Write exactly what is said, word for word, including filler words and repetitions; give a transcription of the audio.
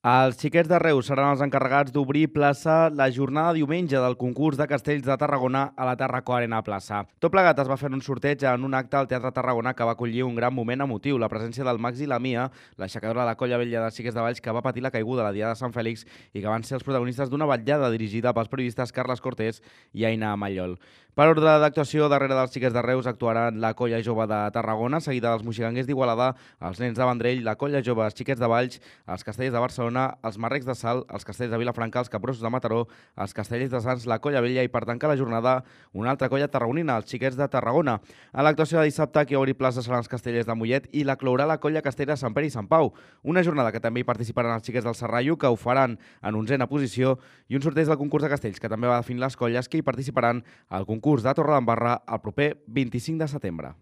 Els xiquets de Reus seran els encarregats d'obrir plaça la jornada de diumenge del concurs de castells de Tarragona a la Tarraco Arena Plaça. Tot plegat es va fer un sorteig en un acte al Teatre Tarragona que va acollir un gran moment emotiu, la presència del Max i la Mia, l'aixecadora de la colla vella dels xiquets de Valls que va patir la caiguda a la Diada de Sant Fèlix i que van ser els protagonistes d'una vetllada dirigida pels periodistes Carles Cortés i Aina Mallol. Per ordre d'actuació, darrere dels xiquets de Reus actuaran la colla jove de Tarragona, seguida dels moxiganguers d'Igualada, els nens de Vendrell, la colla jove, els xiquets de Valls, els castellers de Barcelona, els marrecs de Salt, els castellers de Vilafranca, els capgrossos de Mataró, els castellers de Sants, la colla vella i per tancar la jornada una altra colla tarragonina, els xiquets de Tarragona. A l'actuació de dissabte, qui obri plaça seran els castellers de Mollet i la clourà la colla castellera de Sant Pere i Sant Pau. Una jornada que també hi participaran els xiquets del Serrallo, que ho faran en onzena posició, i un sorteig del concurs de castells, que també va definir les colles que hi participaran al concurs de Torredembarra el proper vint-i-cinc de setembre.